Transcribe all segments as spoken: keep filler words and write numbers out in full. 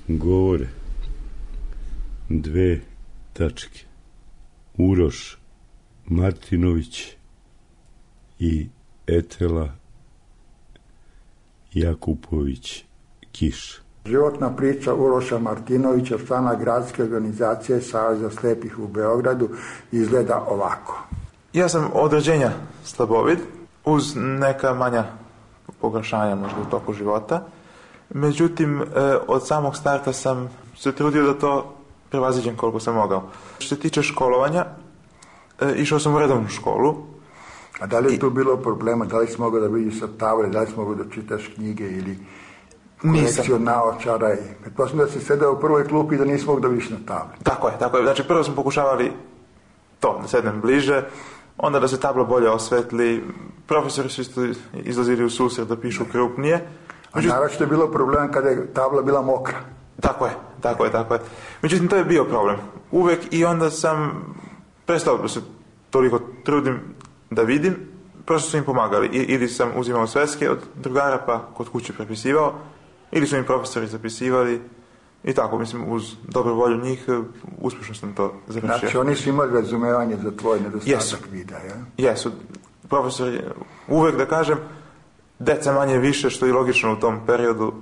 govore dve tačke. Uroš Martinović i Etela Jakupović Kiš. Životna priča Uroša Martinovića, člana gradske organizacije Saveza slepih u Beogradu, izgleda ovako. Ja sam od rođenja slabovid, uz neka manja pogoršanja možda u toku života. Međutim, od samog starta sam se trudio da to prevaziđem koliko sam mogao. Što se tiče školovanja, išao sam u redovnu školu. A da li je tu bilo problema? Da li si mogao da vidiš sa table, da li si mogao da čitaš knjige ili kolekciju naočara? Pretpostavljam da si sedeo u prvoj klupi i da nisi mogao da vidiš na tabli. Tako je, tako je. Znači prvo smo pokušavali to, da sednem bliže, onda da se tabla bolje osvetli. Profesori su isto izlazili u susret da pišu krupnije. Međutim, a naravno je bilo problem kada je tabla bila mokra. Tako je, tako je, tako je. Međutim, to je bio problem. Uvek, i onda sam prestao da se toliko trudim da vidim, prosto su im pomagali. I, ili sam uzimao sveske od drugara pa kod kuće prepisivao, ili su im profesori zapisivali i tako, mislim, uz dobru volju njih uspješno sam to završio. Znači, oni su imali razumevanje za tvoj nedostatak vida, ja? Jesu. Profesori, uvek da kažem, deca manje više, što je logično u tom periodu.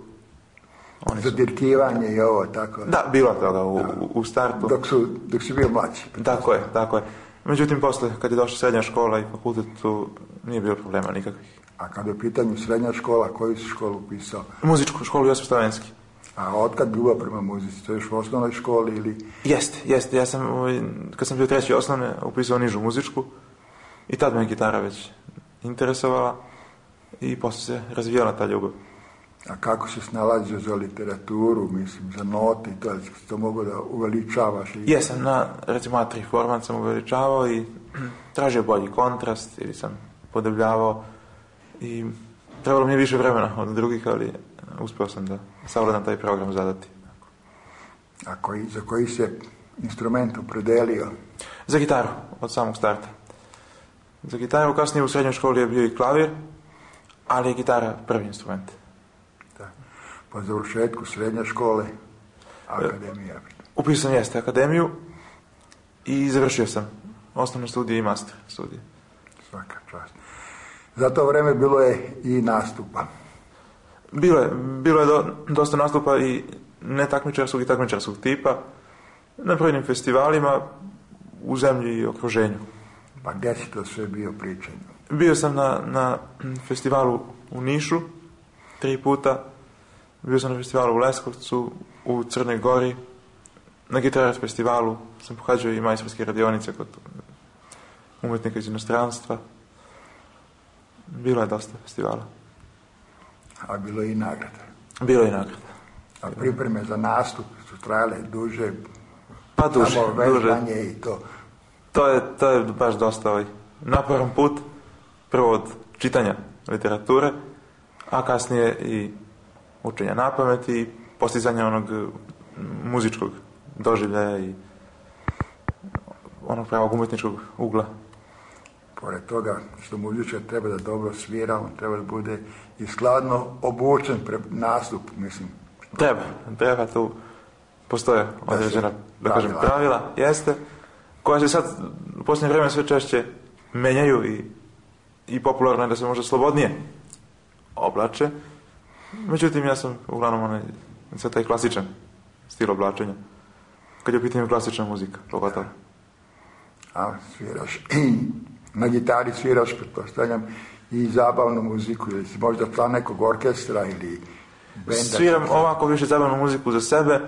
Oni su... Zadirkivanje i ovo, tako? Da, bilo toga u, u startu. Dok su, dok si bio mlađi. Tako je, tako je. Međutim, posle, kad je došla srednja škola i fakultet, tu nije bilo problema nikakvih. A kada je u pitanju srednja škola, koju si školu upisao? Muzičku školu Josip Stavenski. A otkad ljubav prema muzici? To je još u osnovnoj školi ili... Jeste, jeste. Ja sam, kad sam bio treći osnovne, upisao nižu muzičku i tad me gitara već interesovala i posle se razvijala ta ljubav. A kako se snalazio za literaturu, mislim, za note i to, da si to mogo da uveličavaš? I... Jesam, na, recimo, A tri format sam uveličavao i tražio bolji kontrast ili sam podebljavao i trebalo mi je više vremena od drugih, ali uspeo sam da savladam taj program zadati. A koji, za koji se instrument opredelio? Za gitaru, od samog starta. Za gitaru, kasnije u srednjoj školi je bio i klavir, ali je gitara prvi instrument. Da. Po završetku srednje škole, akademija. Upisao sam, jeste, akademiju i završio sam osnovne studije i master studije. Svaka čast. Za to vreme bilo je i nastupa. Bilo je, bilo je do, dosta nastupa i netakmičarskog i takmičarskog tipa na brojnim festivalima u zemlji i okruženju. Pa gdje si to sve bio pričanju? Bio sam na, na festivalu u Nišu tri puta, bio sam na festivalu u Leskovcu, u Crnoj Gori, na Gitarac festivalu sam pohađao i majstorske radionice kod umetnika iz inostranstva. Bilo je dosta festivala. A bilo je i nagrada? Bilo je i nagrada. A pripreme za nastup su trajale duže? Pa duže, samo vežbanje duže. I to. To je, to je baš dosta ovaj naporan put, prvo od čitanja literature, a kasnije i učenja napamet i postizanja onog muzičkog doživljaja i onog pravog umetničkog ugla. Pored toga što muzičar treba da dobro svira, on treba da bude i skladno obučen pred nastup, mislim. Treba, treba, tu postoje određena, da kažem, pravila, jeste, koja se sad u posljednje vreme sve češće menjaju i, i popularno je da se možda slobodnije oblače. Međutim, ja sam uglavnom onaj, sve taj klasičan stil oblačenja, kad je u pitanju klasična muzika, pogotovo. A sviraš i na gitari sviraš, pretpostavljam, i zabavnu muziku, ili si možda član nekog orkestra ili benda? Sviram ovako više zabavnu muziku za sebe,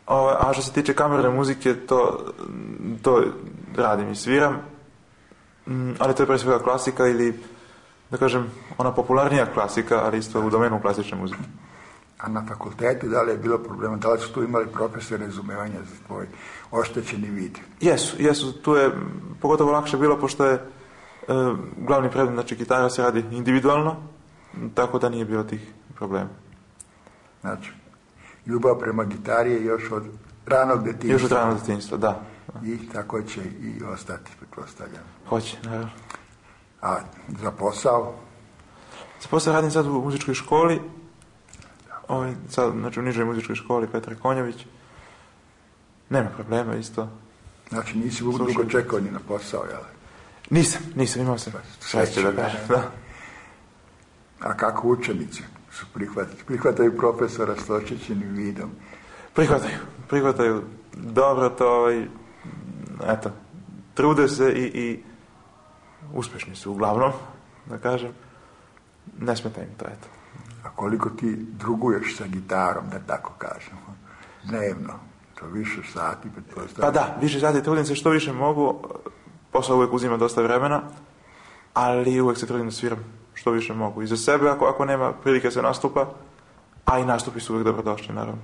a što se tiče kamerne muzike, to, to radim i sviram, ali to je pre svega klasika ili, da kažem, ona popularnija klasika, ali isto u domenu klasične muzike. A na fakultetu da li je bilo problema? Da li su tu imali profesore razumevanja za tvoj oštećeni vid? Jesu, jesu. Tu je pogotovo lakše bilo, pošto je e, glavni predmet, znači gitara se radi individualno, tako da nije bilo tih problema. Znači, ljubav prema gitari je još od ranog detinjstva. Još od ranog detinjstva, da. I tako će i ostati, pretpostavljam. Hoće, naravno. A za posao? Za posao radim sad u muzičkoj školi Ovaj, sad, znači, u nižoj muzičkoj školi Petar Konjević. Nema problema isto. Znači, nisi dugo čekao ni na posao, jel? Nisam, nisam, imao sam sreće da kažem, da. A kako učenici su prihvatili? Prihvataju profesora s očićenim vidom? Prihvataju, prihvataju. Dobro to, ovaj, eto, trude se i, i uspješni su uglavnom, da kažem. Ne smeta im to, eto. A koliko ti druguješ sa gitarom, da tako kažemo, dnevno? To više sati, pa da, više sati, trudim se što više mogu. Posao uvijek uzima dosta vremena, ali uvijek se trudim da sviram što više mogu. I za sebe, ako, ako nema prilike se nastupa, a i nastupi su uvijek dobrodošli, naravno.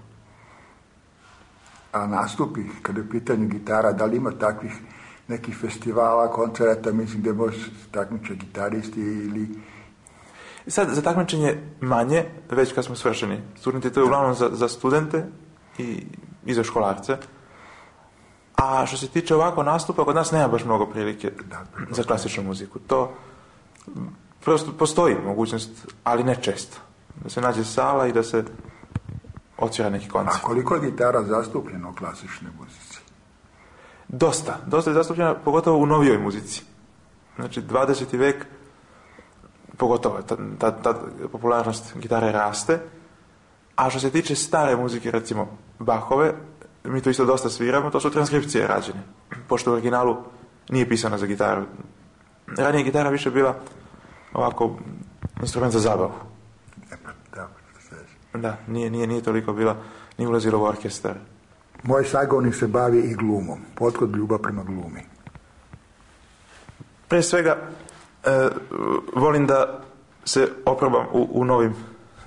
A nastupi, kada je u pitanju gitara, da li ima takvih nekih festivala, koncerta, mislim, gdje može takmiče gitaristi ili... Sad, za takmičenje manje, već kad smo svršeni. Studenti, to je uglavnom za, za studente i, i za školarce. A što se tiče ovako nastupa, kod nas nema baš mnogo prilike za klasičnu muziku. To prosto postoji mogućnost, ali ne često. Da se nađe sala i da se otvira neki koncert. A koliko je gitara zastupljena u klasičnoj muzici? Dosta. Dosta je zastupljena, pogotovo u novijoj muzici. Znači, dvadeseti vek, pogotovo ta, ta, ta popularnost gitare raste. A što se tiče stare muzike, recimo Bachove, mi to isto dosta sviramo, to su transkripcije rađene, pošto u originalu nije pisana za gitaru. Ranije gitara više bila ovako instrument za zabavu. Da, nije, nije, nije toliko bila, nije ulazilo u orkestar. Moj sagovornik se bavi i glumom. Otkud ljubav prema glumi? Prije svega, e, volim da se oprobam u, u novim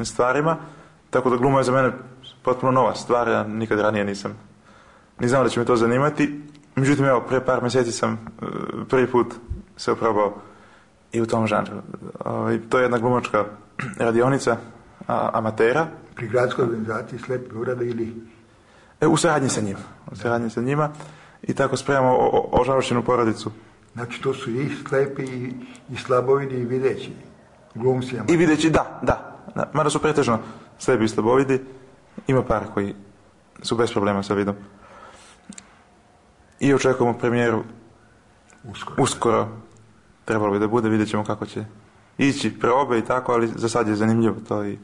stvarima, tako da gluma je za mene potpuno nova stvar, ja nikad ranije nisam ni znao da će me to zanimati. Međutim, evo, prije par mjeseci sam uh, prvi put se oprobao i u tom žanru. Uh, to je jedna glumačka radionica a, amatera. Pri gradskoj organizaciji Slepi Beograda ili? E, u suradnji sa njima. U suradnji sa njima. I tako spremamo ožalošćenu porodicu. Znači, to su i slepi i, i slabovidi i videći. Glumci amateri. I videći, da, da. da. Mada su pretežno slepi i slabovidi. Ima par koji su bez problema sa vidom. I očekujemo premijeru uskoro. uskoro. Trebalo bi da bude, vidjet ćemo kako će ići probe i tako, ali za sad je zanimljivo to i...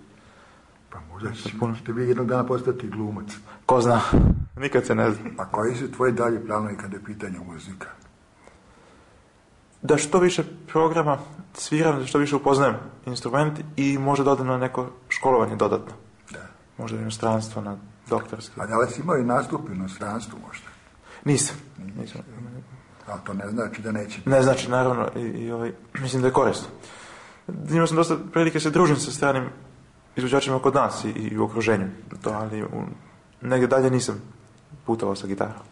Pa možda ćete vi jednog dana postati glumac. Ko zna, nikad se ne zna. A koji su tvoji dalje planovi kada je pitanje muzika? Da što više programa sviram, da što više upoznajem instrument i možda dodam na neko školovanje dodatno. Da. Možda u inostranstvo, na doktorski. A da li si imao i nastup u inostranstvu možda? Nisam. Nisam. Ali to ne znači da neće. Ne znači, naravno, i, i ovaj, mislim da je korisno. Imao sam dosta prilike se družim sa stranim izvođačima kod nas i, i u okruženju. To, ali u, negdje dalje nisam putovao sa gitarom.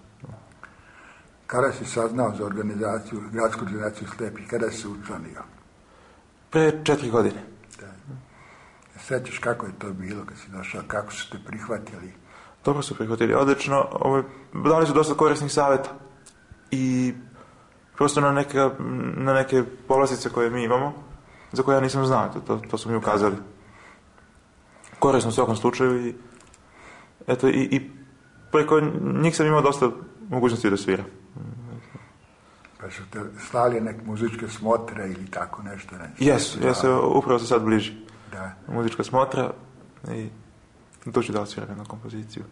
Kada si saznao za organizaciju, gradsku organizaciju slepih, kada si se učlanio? Pre četiri godine. Da. Sjećaš kako je to bilo kad si došao, kako su te prihvatili? Dobro su prihvatili, odlično. Ovo, dali su dosta korisnih savjeta. I prosto na neke, na neke povlastice koje mi imamo, za koje ja nisam znao, to, to su mi ukazali. Korisno u svakom slučaju i eto, i, i preko njih sam imao dosta mogućnosti da svira. Pa su te slali neke muzičke smotre ili tako nešto? nešto jesu, jesu, upravo se sad bliži. Da. Muzička smotra i tu ću da odsviram na kompoziciju.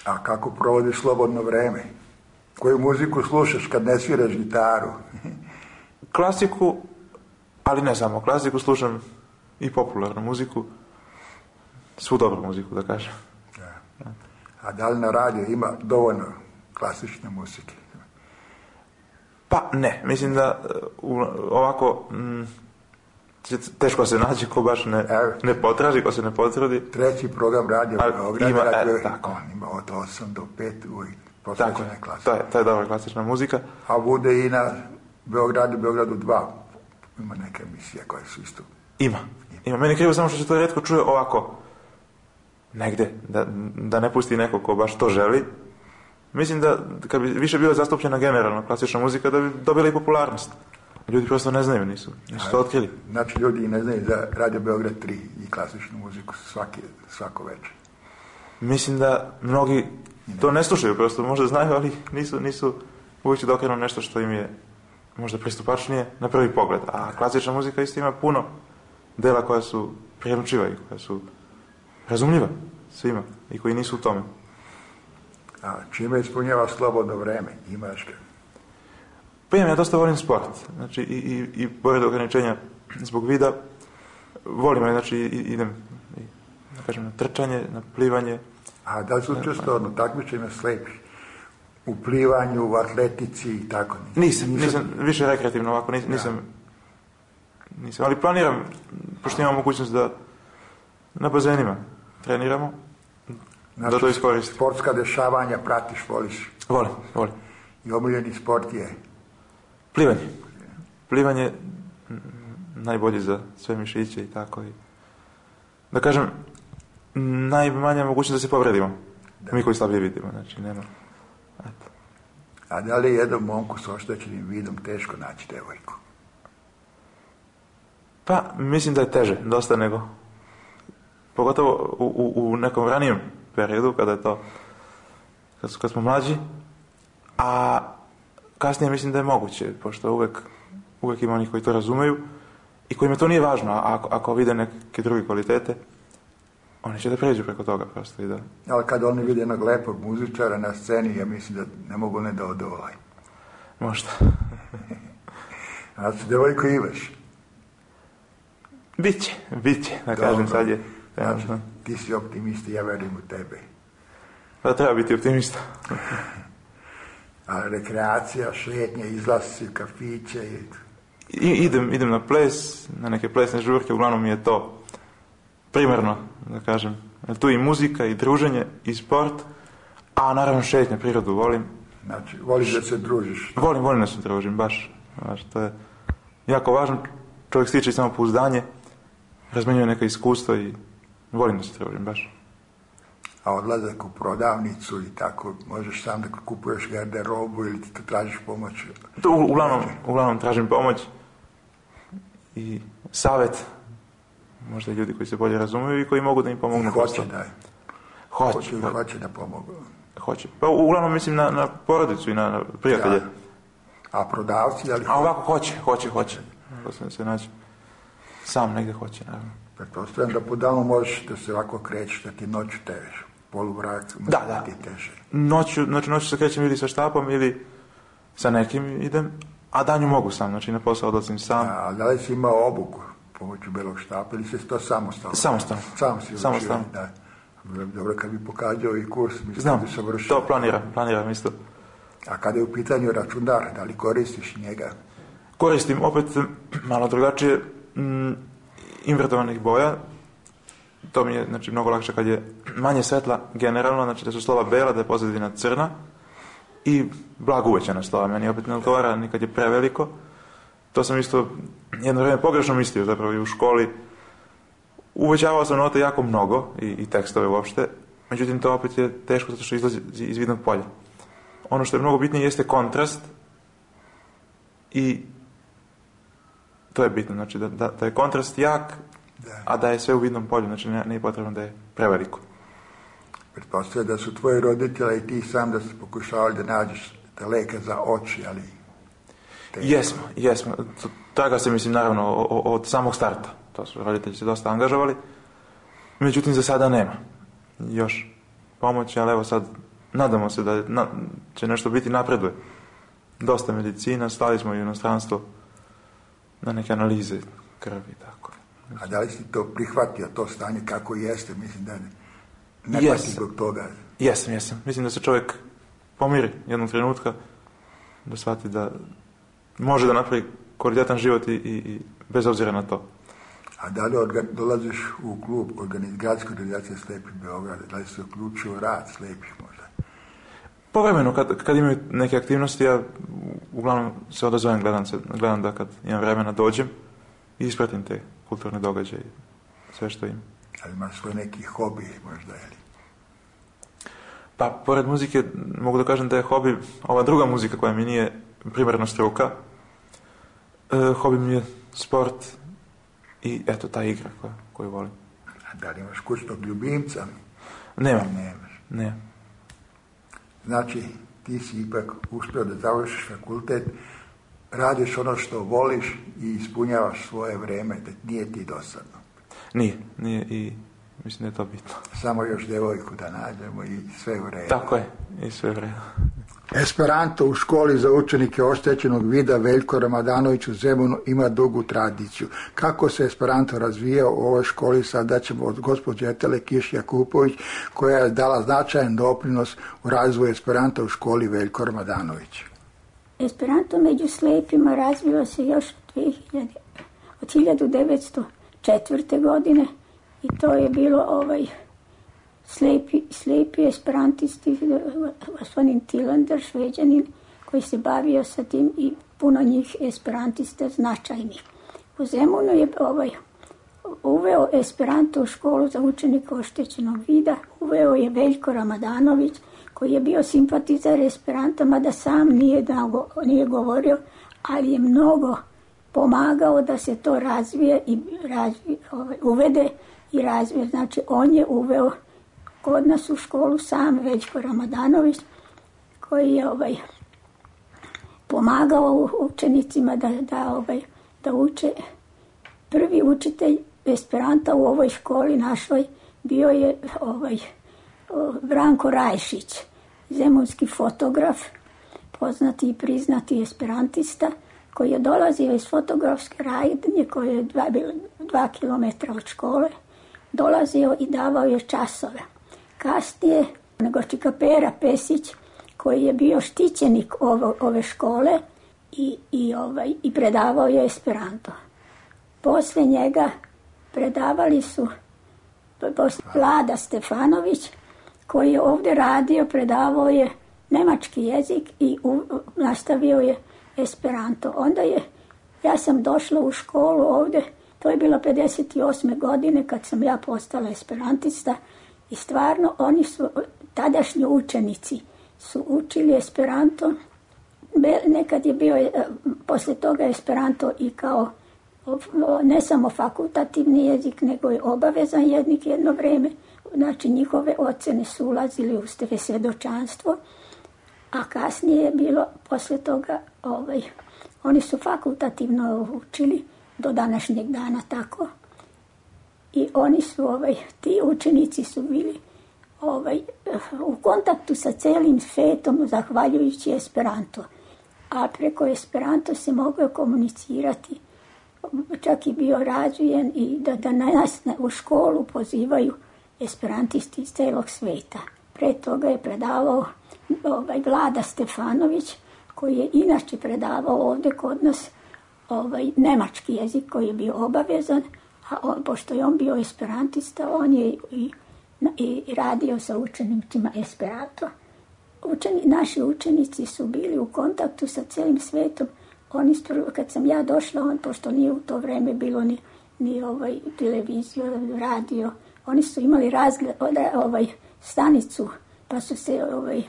A kako provodiš slobodno vreme? Koju muziku slušaš kad ne sviraš gitaru? Klasiku, ali ne samo klasiku, slušam i popularnu muziku, svu dobru muziku, da kažem. Da. A da li na radiju ima dovoljno klasične muzike? Pa ne, mislim da uh, ovako mm, teško se nađe ko baš ne, ne potraži, ko se ne potrudi. Treći program radio Beograd, ima, radio, e, tako. On ima od osam do pet uvijek posvećena klasična. To je, to je dobra klasična muzika. A bude i na Beogradu, Beogradu dva. Ima neke emisije koje su isto. Ima. Ima. Meni je krivo samo što se to rijetko čuje ovako negde, da, da ne pusti neko ko baš to želi. Mislim da kad bi više bila zastupljena generalno klasična muzika, da bi dobila i popularnost. Ljudi prosto ne znaju, nisu, nisu to otkrili. Znači, ljudi ne znaju za Radio Beograd tri i klasičnu muziku svaki, svako večer. Mislim da mnogi to ne slušaju, prosto možda znaju, ali nisu, nisu uvijek da okrenu nešto što im je možda pristupačnije na prvi pogled. A klasična muzika isto ima puno dela koja su prijelučiva i koja su razumljiva svima i koji nisu u tome. A čime ispunjava slobodno vreme? Imaš ga? Pa imam, ja dosta volim sport. Znači, i, i, i pored ograničenja zbog vida, volim, znači, i, idem i, da kažem, na trčanje, na plivanje. A da li su učestvovao na takmičenjima slepih? U plivanju, u atletici i tako? Nisam, nisam, nisam više rekreativno ovako, nisam, nisam, nisam, ali planiram, pošto imam mogućnost da na bazenima treniramo, znači, da to iskoristim. Sportska dešavanja pratiš, voliš? Volim, volim. I omiljeni sport je? Plivanje. Plivanje najbolje za sve mišiće i tako. I, da kažem, najmanja mogućnost da se povredimo. Da. Mi koji slabije vidimo, znači nema. Eto. A da li je jednom momku s oštećenim vidom teško naći devojku? Pa, mislim da je teže, dosta nego. Pogotovo u, u, u nekom ranijem periodu, kada je to, kad, kad smo mlađi, a kasnije mislim da je moguće, pošto uvek, uvek ima onih koji to razumeju i kojima to nije važno, a ako, ako vide neke druge kvalitete, oni će da pređu preko toga prosto i da... Ali kad oni vide jednog lepog muzičara na sceni, ja mislim da ne mogu ne da odovolaju. Možda. A su devojko imaš? Biće, biće, da dobro, kažem sad je. Znači, ti si optimista, ja verujem u tebe. Pa treba biti optimista. A rekreacija, šetnje, izlasci u kafiće i... I, idem, idem na ples, na neke plesne žurke, uglavnom mi je to primarno, da kažem. Tu i muzika, i druženje, i sport, a naravno šetnje, prirodu volim. Znači, voliš da se družiš? Volim, volim da se družim, baš. baš. To je jako važno, čovjek stiče samo pouzdanje, razmenjuje neka iskustva i volim da se družim, baš. A odlazak u prodavnicu i tako, možeš sam da kupuješ garderobu ili ti to tražiš pomoć? To, u, uglavnom, uglavnom tražim pomoć i savjet, možda i ljudi koji se bolje razumiju i koji mogu da im pomognu. I hoće da je. Hoće. Hoće, Ho, hoće da pomogu. Hoće. Pa uglavnom mislim na, na porodicu i na, na prijatelje. Ja. A prodavci, ali... A ovako hoće, hoće, hoće. To se, se naći. Sam negdje hoće, naravno. Pretpostavljam da po danu možeš da se ovako krećeš, da ti noću težeš. Poluvrak, da, da. Ti teže. Noću, znači noću se krećem ili sa štapom ili sa nekim idem, a danju mogu sam, znači na posao odlazim sam. A, a da li si imao obuku pomoću belog štapa ili si to samostalno? Samostalno. Sam si samostalno. Da. Dobro, kad bi pokazao i kurs, mislim znam, da bi se vršio. To planiram, planiram isto. A kada je u pitanju računar, da li koristiš njega? Koristim opet malo drugačije mm, invertovanih boja. To mi je, znači, mnogo lakše kad je manje svetla generalno, znači da su slova bela, da je pozadina crna i blago uvećana slova. Meni opet ne odgovara ni kad je preveliko. To sam isto jedno vrijeme pogrešno mislio, zapravo i u školi. Uvećavao sam note jako mnogo i, i tekstove uopšte, međutim to opet je teško zato što izlazi iz vidnog polja. Ono što je mnogo bitnije jeste kontrast i to je bitno, znači da, da, da je kontrast jak, da. A da je sve u vidnom polju, znači ne, ne je potrebno da je preveliko. Pretpostavljam da su tvoji roditelji i ti sam da ste pokušavali da nađeš te leke za oči, ali... Teško. Jesmo, jesmo. Traga se, mislim, naravno, o, o, od samog starta. To su roditelji se dosta angažovali. Međutim, za sada nema još pomoći, ali evo sad nadamo se da na, će nešto biti, napreduje. Dosta medicina, stali smo i u inostranstvo na neke analize krvi i tako. A da li si to prihvatio, to stanje kako jeste? Mislim da ne, ne yes. pati zbog toga. Jesam, jesam. Mislim da se čovjek pomiri jednog trenutka, da shvati da može da napravi kvalitetan život i, i, i bez obzira na to. A da li organ, dolaziš u klub organiz, gradske organizacije Slepih Beograda, da li se uključio u rad slepih možda? Povremeno, kad, kad imaju neke aktivnosti, ja uglavnom se odazovem, gledam, se, gledam da kad imam vremena dođem i ispratim te kulturne događaje, sve što im. Ali imaš svoj neki hobi možda, ili? Pa, pored muzike, mogu da kažem da je hobi ova druga muzika koja mi nije primarno struka. E, hobi mi je sport i eto ta igra koju, koju volim. A da li imaš kućnog ljubimca? Nema. Nemaš. Ne. Znači, ti si ipak uspio da završiš fakultet, radiš ono što voliš i ispunjavaš svoje vreme, da nije ti dosadno. Nije, nije i mislim da je to bitno. Samo još devojku da nađemo i sve u redu. Tako je, i sve u redu. Esperanto u školi za učenike oštećenog vida Veljko Ramadanović u Zemunu ima dugu tradiciju. Kako se Esperanto razvijao u ovoj školi, sada ćemo od gospođe Etele Kiš Jakupović, koja je dala značajan doprinos u razvoju Esperanta u školi Veljko Ramadanović. Esperanto među slijepima razvio se još od hiljadu devetsto četvrte. godine i to je bilo ovaj slijepi, slijepi esperantisti, gospodin Tilander, Šveđanin, koji se bavio sa tim i puno njih esperantista značajnih. U Zemunu je ovaj, uveo Esperanto u školu za učenike oštećenog vida, uveo je Veljko Ramadanović, koji je bio simpatizar Esperanta, mada sam nije, dago, nije govorio, ali je mnogo pomagao da se to razvije i razvije, ovaj, uvede i razvije. Znači, on je uveo kod nas u školu sam Veljko Ramadanović, koji je ovaj, pomagao učenicima da, da, ovaj, da uče. Prvi učitelj Esperanta u ovoj školi našoj bio je ovaj, Branko Rajšić, zemunski fotograf, poznati i priznati esperantista, koji je dolazio iz fotografske radnje, koje je dva, dva kilometra od škole, dolazio i davao je časove. Kasnije, nego Čikapera Pesić, koji je bio štićenik ovo, ove škole i, i, ovaj, i predavao je Esperanto. Posle njega predavali su Vlada Stefanović, koji je ovdje radio, predavao je nemački jezik i u, nastavio je Esperanto. Onda je, ja sam došla u školu ovdje, to je bilo pedeset osme. godine kad sam ja postala esperantista i stvarno oni su, tadašnji učenici su učili Esperanto. Nekad je bio posle toga Esperanto i kao ne samo fakultativni jezik, nego je obavezan jezik jedno vrijeme. Znači njihove ocene su ulazili u svjedočanstvo, a kasnije je bilo posle toga, ovaj, oni su fakultativno učili do današnjeg dana tako. I oni su, ovaj, ti učenici su bili ovaj, u kontaktu sa celim svetom zahvaljujući Esperanto. A preko Esperanto se moglo komunicirati, čak i bio razvijen i da, da nas u školu pozivaju esperantisti iz celog sveta. Pre toga je predavao ovaj, Vlada Stefanović, koji je inače predavao ovdje kod nas ovaj, nemački jezik koji je bio obavezan, a on, pošto je on bio esperantista, on je i, i radio sa učenicima Esperanto. Učeni, naši učenici su bili u kontaktu sa celim svetom. Oni, kad sam ja došla, on, pošto nije u to vreme bilo ni, ni ovaj, televiziju, radio, oni su imali razgled, ovaj, stanicu, pa su se ovaj,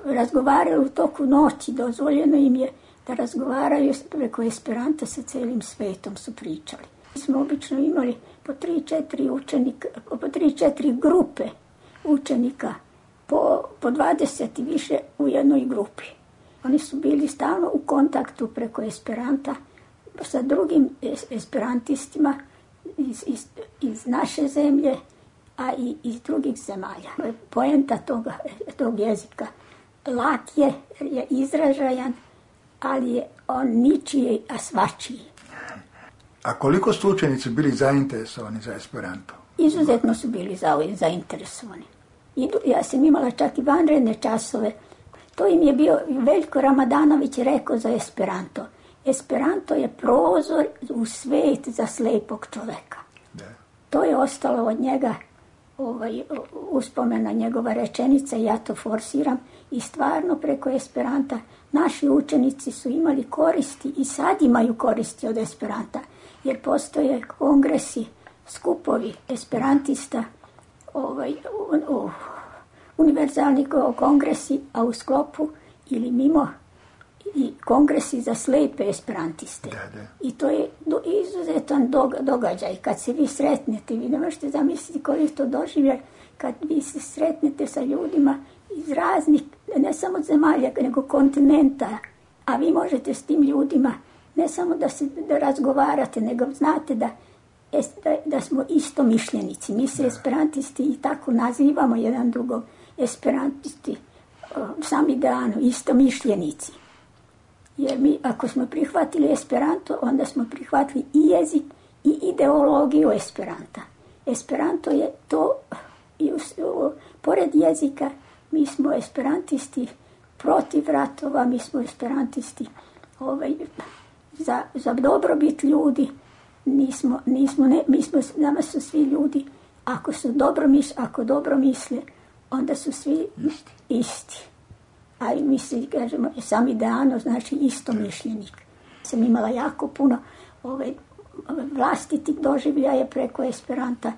razgovarali u toku noći, dozvoljeno im je da razgovaraju preko Esperanta sa celim svetom, su pričali. Mi smo obično imali po tri, četiri učenika, po tri, četiri grupe učenika, po, po dvadeset i više u jednoj grupi. Oni su bili stalno u kontaktu preko Esperanta sa drugim esperantistima iz, iz, iz naše zemlje, a i iz drugih zemalja. Poenta toga, tog jezika lak je, je izražajan, ali je on ničiji, a svačiji. A koliko su učenici bili zainteresovani za Esperanto? Izuzetno su bili za, zainteresovani. Idu, ja sam imala čak i vanredne časove. To im je bio, Veljko Ramadanović rekao za Esperanto. Esperanto je prozor u svet za slepog čoveka. Da. To je ostalo od njega, ovaj, uspomena njegova rečenica, ja to forsiram, i stvarno preko Esperanta naši učenici su imali koristi i sad imaju koristi od Esperanta, jer postoje kongresi, skupovi esperantista, ovaj, u, u, univerzalni kongresi, a u sklopu ili mimo i kongresi za slepe esperantiste. Da, da. I to je do, izuzetan događaj. Kad se vi sretnete, vi ne možete zamisliti koji je to doživljaj, kad vi se sretnete sa ljudima iz raznih, ne samo zemalja, nego kontinenta, a vi možete s tim ljudima ne samo da se da razgovarate, nego znate da, da, da smo istomišljenici. Mi se esperantisti i tako nazivamo jedan drugog, esperantisti, sami dano, istomišljenici. Jer mi, ako smo prihvatili Esperanto, onda smo prihvatili i jezik i ideologiju Esperanta. Esperanto je to, i u, u, pored jezika, mi smo esperantisti protiv ratova, mi smo esperantisti ovaj, za, za dobrobit ljudi, nismo, nismo, ne, mi smo, nama su svi ljudi, ako su dobro misle, ako dobro misle, onda su svi isti. isti. A mi se, kažemo, sam ideano, znači istomišljenik. Sam imala jako puno ove, ove vlastitih doživljaja preko Esperanta.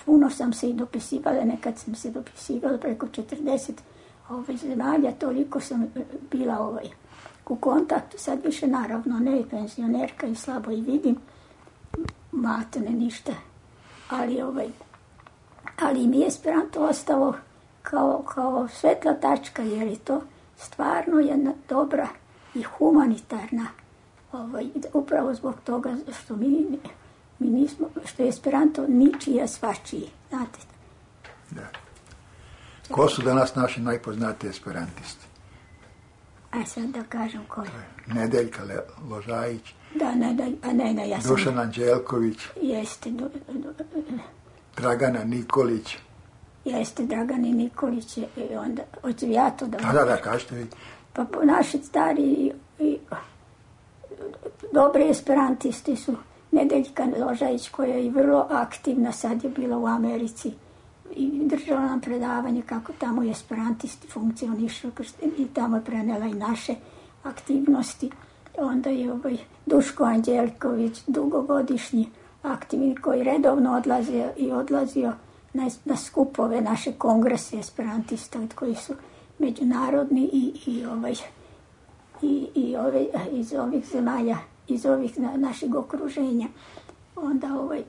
Puno sam se i dopisivala, nekad sam se dopisivala preko četrdeset ove, zemalja, toliko sam bila ovaj, u kontaktu. Sad više naravno ne, penzionerka i slabo i vidim, matene ništa. Ali, ovaj, ali mi je Esperanto ostalo kao, kao svetla tačka, jer je to stvarno jedna dobra i humanitarna, ovaj, upravo zbog toga što mi, mi nismo, što je Esperanto ničija svačiji, znate. Da. Ko su danas naši najpoznatiji esperantisti? A sad da kažem ko je. Nedeljka Ložajić. Da, Nedelj, a ne, ne, ja sam... Dušan Anđelković. Jeste. Du, du, Dragana Nikolić. Jeste, Dragani Nikolić je i onda, hoću ja to da... Da, da, da, kažete vi. Pa naši stari i, i dobri esperantisti su Nedeljka Ložajić, koja je vrlo aktivna, sad je bila u Americi i držala nam predavanje kako tamo je esperantisti funkcionišu i tamo je prenela i naše aktivnosti. Onda je ovaj Duško Anđelković, dugogodišnji aktivni, koji redovno odlazio i odlazio Na, na skupove naše kongrese esperantista koji su međunarodni i, i, ovaj, i, i ove, iz ovih zemalja, iz ovih na, našeg okruženja. Onda ovaj,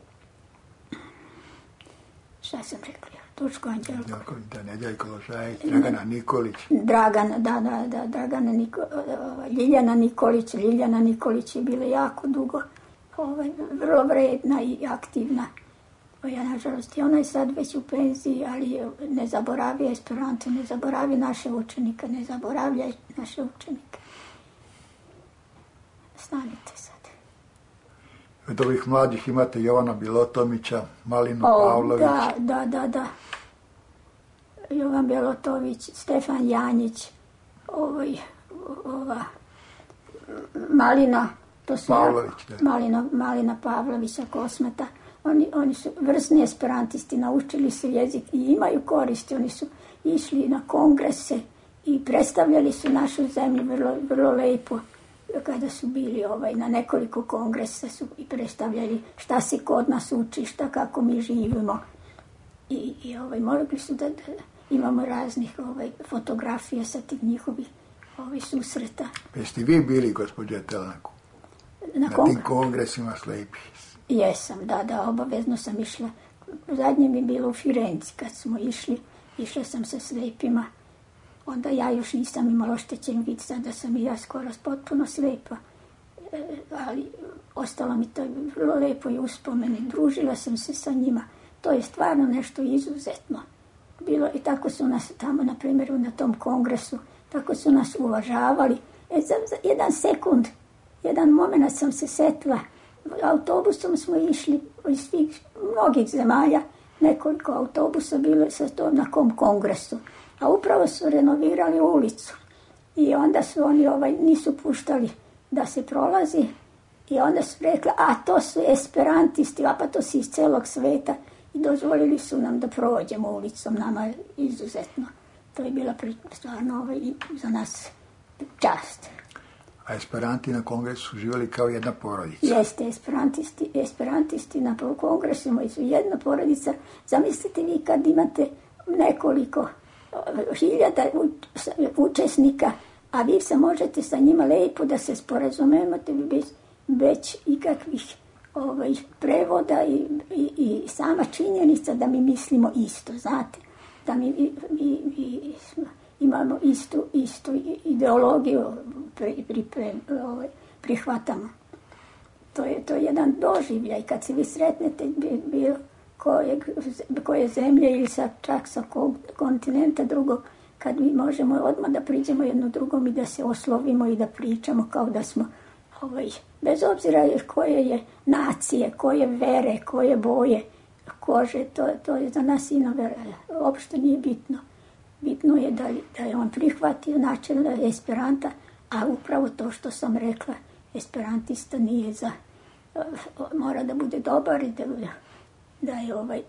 šta sam rekla? Duško Anđelković. Da, Nedeljko Ložajić, Dragana Nikolić. Dragana, da, da, da, Dragana Niko, Ljiljana Nikolić. Ljiljana Nikolić je bila jako dugo, ovaj, vrlo vredna i aktivna. Ja, nažalost, i ona je sad već u penziji, ali ne zaboravi Esperanto, ne zaboravi naše učenike, ne zaboravlja naše učenike. Stanite sad. Od ovih mladih imate Jovana Bilotomića, Malinu o, Pavlović. Da, da, da, da. Jovan Bilotović, Stefan Janjić, ovaj, ova, Malina, to su Pavlović, ja, da. Malina, Malina Pavlovića, Kosmeta. Oni, oni su vrsni esperantisti, naučili su jezik i imaju koristi. Oni su išli na kongrese i predstavljali su našu zemlju vrlo, vrlo lepo. Kada su bili ovaj, na nekoliko kongresa su i predstavljali šta se kod nas uči, šta kako mi živimo. I, i ovaj, mogli su da, da imamo raznih ovaj, fotografija sa tih njihovih ovaj, susreta. Jeste vi bili, gospođa Telanku, na, na tim kongresima slepih? Jesam, da, da, obavezno sam išla. Zadnje mi je bilo u Firenci kad smo išli, išla sam sa slepima. Onda ja još nisam imala oštećen vid, sada sam i ja skoro potpuno slepa. E, ali ostalo mi to vrlo lepo i uspomene. Družila sam se sa njima. To je stvarno nešto izuzetno. Bilo i tako su nas tamo, na primjer, na tom kongresu, tako su nas uvažavali. E, za, za jedan sekund, jedan moment sam se setila. Autobusom smo išli iz svih mnogih zemalja, nekoliko autobusa bilo sa to na kom kongresu, a upravo su renovirali ulicu i onda su oni ovaj, nisu puštali da se prolazi i onda su rekli, a to su esperantisti, a pa to su iz celog sveta i dozvolili su nam da prođemo ulicom, nama je izuzetno. To je bila stvarno ovaj, za nas čast. A esperanti na kongresu su živjeli kao jedna porodica. Jeste, esperantisti, esperantisti na kongresima su jedna porodica. Zamislite vi kad imate nekoliko hiljada učesnika, a vi se možete sa njima lepo da se sporazumete bez, bez ikakvih ovaj, prevoda i, i, i sama činjenica da mi mislimo isto, znate, da mi, mi, mi imamo istu, istu ideologiju pri, pri, pri, ovaj, prihvatamo. To je, to je jedan doživljaj kad se vi sretnete bilo koje, koje zemlje ili sa, čak sa kontinenta drugog, kad mi možemo odmah da priđemo jedno drugom i da se oslovimo i da pričamo kao da smo, ovaj, bez obzira koje je nacije, koje vere, koje boje kože, to, to je za nas ino uopšte nije bitno. Bitno je da, da je on prihvatio način esperanta, a upravo to što sam rekla, esperantista nije za, mora da bude dobar i da, da je ovaj,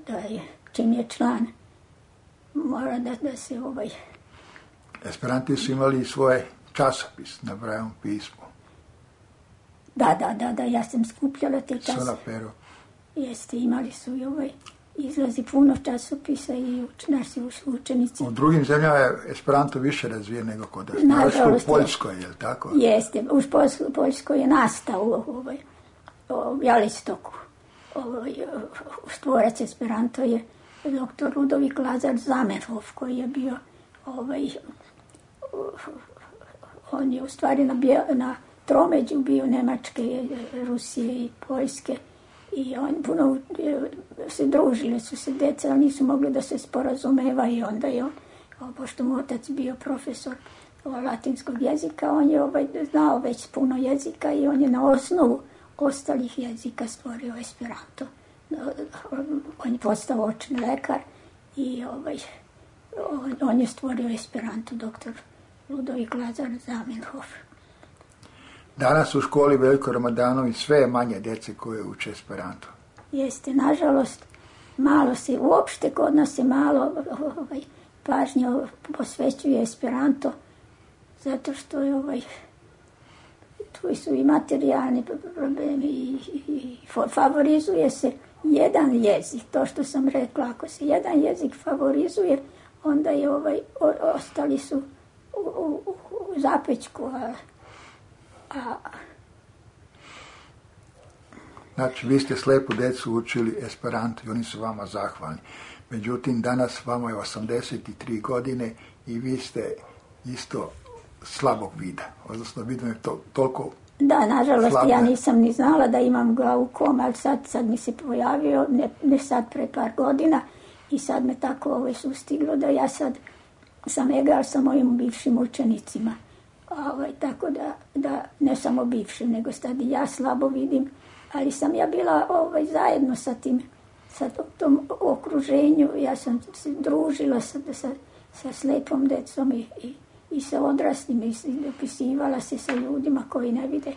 da je, čim je član, mora da, da se ovaj... Esperanti su imali svoje časopis na Brailleovom pismu. Da, da, da, da, ja sam skupljala te časopise. Sola pero. Jeste, imali su i ovaj izlazi puno časopisa i uč, naši učenici. U drugim zemljama je Esperanto više razvijen nego kod nas. Nažalost, u Poljskoj, je li tako? Jeste, u Poljskoj je nastao ovaj, u Bialystoku. Ovaj, stvorac Esperanto je doktor Ludovik Lazar Zamenhof, koji je bio ovaj, on je u stvari na, na tromeđu bio Nemačke, Rusije i Poljske. I on puno se družili su se deca, ali nisu mogli da se sporazumeva i onda je on, pošto mu otac bio profesor latinskog jezika, on je ovaj, znao već puno jezika i on je na osnovu ostalih jezika stvorio Esperanto. On je postao očni lekar i ovaj, on, on je stvorio Esperanto, doktor Ludovik Lazar Zamenhof. Danas u školi Veljko Ramadanović sve je manje djece koje uče Esperanto. Jeste, nažalost, malo se, uopšte kod nas se malo ovaj, pažnje posvećuje Esperanto, zato što je ovaj, tu su i materijalni problemi i, i, i favorizuje se jedan jezik. To što sam rekla, ako se jedan jezik favorizuje, onda je ovaj, o, ostali su u, u, u zapećku, a A... Znači, vi ste slepu djecu učili Esperanto i oni su vama zahvalni. Međutim, danas vama je osamdeset tri godine i vi ste isto slabog vida. Odnosno, vidim je to toliko Da, nažalost, slabne. Ja nisam ni znala da imam glaukom, ali sad, sad mi se pojavio, ne, ne sad pre par godina, i sad me tako ovo sustiglo da ja sad sam egal sa mojim bivšim učenicima. Ovaj, tako da, da ne samo bivšim, nego sad i ja slabo vidim, ali sam ja bila ovaj, zajedno sa tim, sa tom okruženju, ja sam se družila sa, sa, sa slepom decom i, i, i sa odraslim i, i dopisivala se sa ljudima koji ne vide.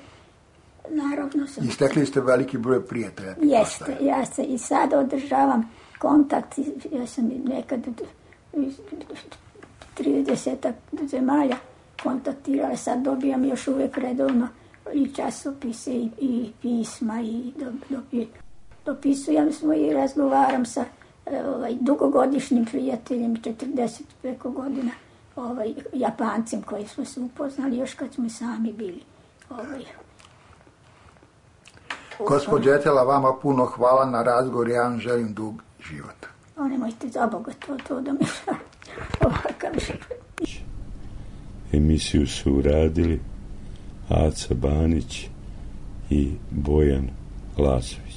Naravno sam... I stekli ste veliki broj prijatelja. Jeste, ja se i sad održavam kontakt, ja sam nekad tridesetak zemalja kontaktirala, sad dobijam još uvijek redovno i časopise i, i pisma i do, do, dopisujem smo i razgovaram sa ovaj, dugogodišnjim prijateljem, četrdeset preko godina, ovaj, Japancem koji smo se upoznali još kad smo sami bili. Ovaj. Gospođo Etela, vama puno hvala na razgovor, ja vam želim dug život. O, nemojte za Boga to, to da mi ovakav život. Emisiju su uradili Aca Banić i Bojan Lazović.